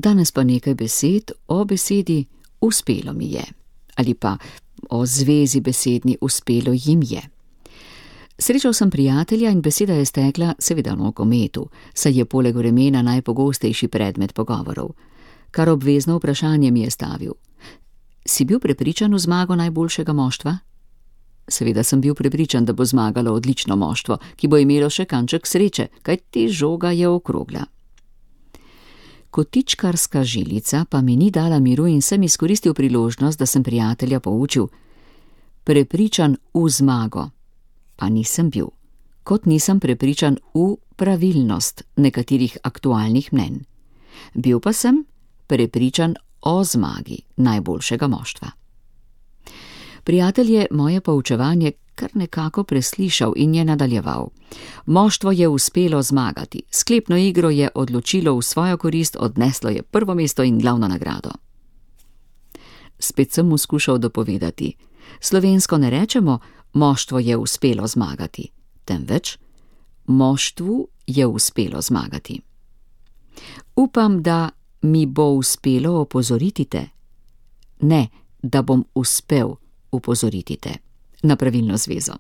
Danes pa nekaj besed o besedi uspelo mi je, ali pa o zvezi besedni uspelo jim je. Srečal sem prijatelja in beseda je stekla seveda o nogometu, saj je poleg vremena najpogostejši predmet pogovorov. Kar obvezno vprašanje mi je stavil: si bil prepričan v zmago najboljšega moštva? Seveda sem bil prepričan, da bo zmagalo odlično moštvo, ki bo imelo še kanček sreče, kajti žoga je okrogla. Kotičkarska žilica pa mi ni dala miru in sem izkoristil priložnost, da sem prijatelja poučil: prepričan v zmago pa nisem bil, kot nisem prepričan v pravilnost nekaterih aktualnih mnenj. Bil pa sem prepričan o zmagi najboljšega moštva. Prijatelj je moje poučevanje kar nekako preslišal in je nadaljeval: moštvo je uspelo zmagati, sklepno igro je odločilo v svojo korist, odneslo je prvo mesto in glavno nagrado. Spet sem mu skušal dopovedati: slovensko ne rečemo moštvo je uspelo zmagati, temveč moštvu je uspelo zmagati. Upam, da mi bo uspelo opozoriti te. Ne, da bom uspel upozoriti te na pravilno zvezo.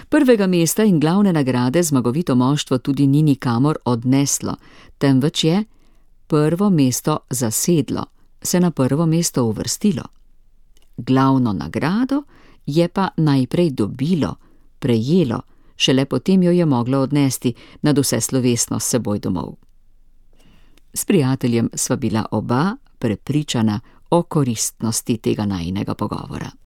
Prvega mesta in glavne nagrade zmagovito moštvo tudi ni nikamor odneslo, temveč je prvo mesto zasedlo, se na prvo mesto uvrstilo. Glavno nagrado je pa najprej dobilo, prejelo, šele potem jo je moglo odnesti nad vse slovesno s seboj domov. S prijateljem sva bila oba prepričana o koristnosti tega najinega pogovora.